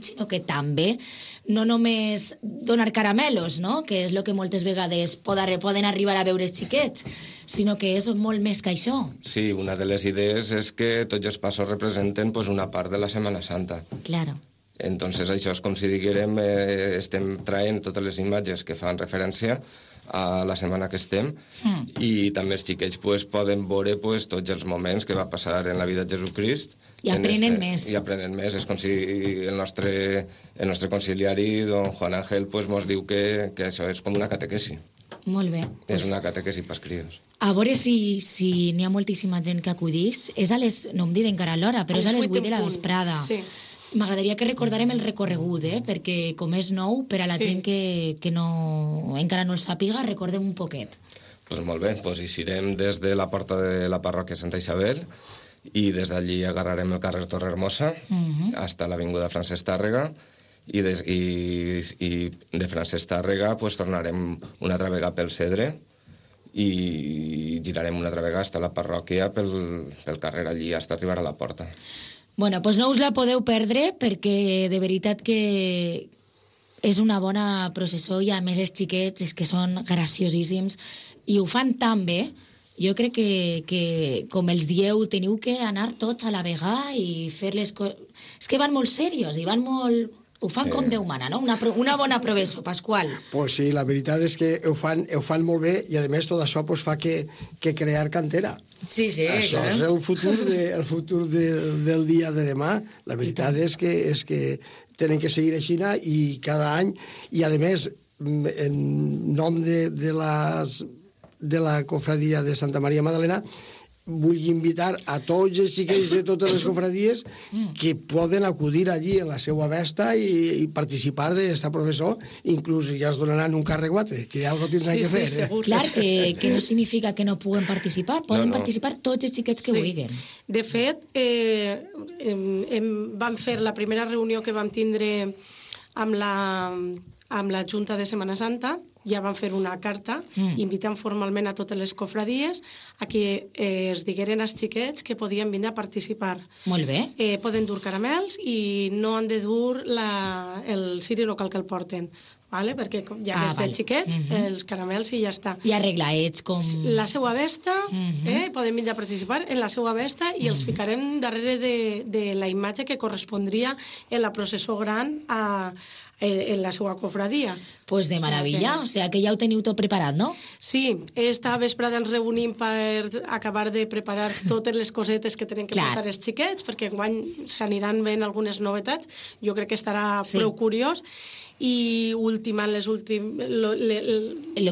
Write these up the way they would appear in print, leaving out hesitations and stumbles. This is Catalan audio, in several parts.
sinó que també no només donar caramelos, no? Que és el que moltes vegades poden arribar a veure els xiquets, sinó que és molt més que això. Sí, una de les idees és que tots els passos representen pues, una part de la Setmana Santa. Claro. Entonces això és com si diguérem estem traient totes les imatges que fan referència a la setmana que estem i també els xiquets pues, poden veure pues, tots els moments que va passar en la vida de Jesucrist. I aprenen més. I aprenen més. És com si el nostre conciliari, don Juan Ángel, pues, mos diu que això és com una catequesi. Molt bé. És una catequesi pels crios. A veure si n'hi ha moltíssima gent que acudís. És a les, no em diré encara l'hora, però és a les 8 de la vesprada. Sí. M'agradaria que recordarem el recorregut, perquè com és nou, per a la gent que encara no el sàpiga, recordem un poquet. Pues molt bé, pues eixirem des de la porta de la parròquia Santa Isabel i des d'allí agarrarem el carrer Torre Hermosa hasta l'avinguda Francesc Tàrrega i de Francesc Tàrrega pues, tornarem una altra vegada pel Cedre i girarem una altra vegada hasta la parròquia pel carrer allí hasta arribar a la porta. Bueno, doncs no us la podeu perdre perquè de veritat que és una bona processó i a més els xiquets és que són graciosíssims i ho fan tan bé. Jo crec que com els dieu, teniu que anar tots a la vegada i fer les coses... És que van molt serios i van molt... Ho fan com Déu mana, no? Una bona professó, Pasqual. Pues sí, la veritat és que ho fan molt bé i, a més, tot això pues, fa que crear cantera. Sí, això clar. És el futur del dia de demà. La veritat és que tenen que seguir així i cada any, i, a més, en nom de la cofradia de Santa Maria Magdalena, vull invitar a tots els xiquets de totes les cofradies que poden acudir allí a la seva festa i participar d'esta professó, inclús ja es donaran un càrrec o altre, que alguna cosa tindran que fer. Sí, segur. Clar, que no significa que no puguen participar, poden participar tots els xiquets que vulguin. De fet, vam fer la primera reunió que vam tindre amb la Junta de Setmana Santa, ja van fer una carta invitant formalment a totes les cofradies a que es digueren als xiquets que podien vindre a participar. Molt bé. Poden dur caramels i no han de dur el ciri, no cal que el porten, vale? Perquè ja que és de xiquets, els caramels i ja està. I arreglaets com... La seva vesta, poden vindre a participar en la seva vesta i els ficarem darrere de la imatge que correspondria en la processó gran en la seva cofradia. Pues de meravella, o sigui que ja ho teniu tot preparat, no? Sí, esta vesprada ens reunim per acabar de preparar totes les cosetes que tenen que portar els xiquets, perquè enguany s'aniran veient algunes novetats, jo crec que estarà prou curiós, i ultimant lo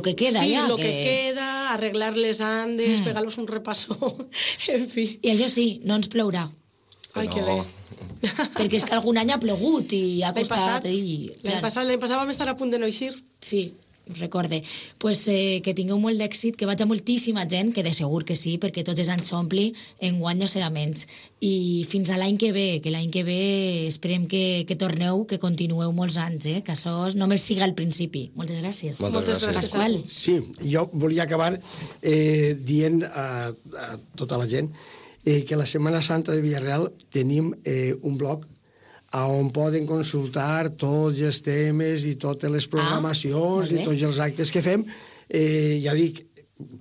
que queda ja. Sí, lo que queda, arreglar les andes, pegar-los un repassó, en fi. I això sí, no ens plourà. Ai, que bé. Perquè és que algun any ha plogut i ha costat... L'any passat vam estar a punt de no eixir. Sí, us recorde. Pues que tingueu molt d'èxit, que vaig a moltíssima gent, que de segur que sí, perquè tots els anys s'ompli, enguany no serà menys. I fins a l'any que ve, esperem que torneu, que continueu molts anys, que això només siga el principi. Moltes gràcies. Moltes gràcies. Pasqual. Sí, jo volia acabar dient a tota la gent que la Setmana Santa de Villarreal tenim un blog on poden consultar tots els temes i totes les programacions i tots els actes que fem. Ja dic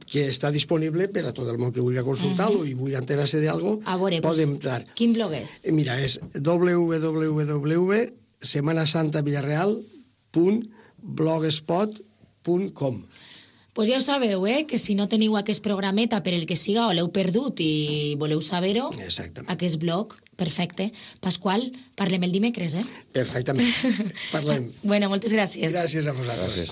que està disponible per a tot el món que vulgui consultar-lo i vulgui enterar-se d'alguna cosa, podem dar. Quin blog és? Mira, és www.semanasantavillarreal.blogspot.com. Pues ja ho sabeu, que si no teniu aquest programeta per el que siga o l'heu perdut i voleu saber-ho, aquest blog, perfecte. Pasqual, parlem el dimecres, Perfectament. Parlem. Bueno, moltes gràcies. Gràcies a vosaltres. Gràcies.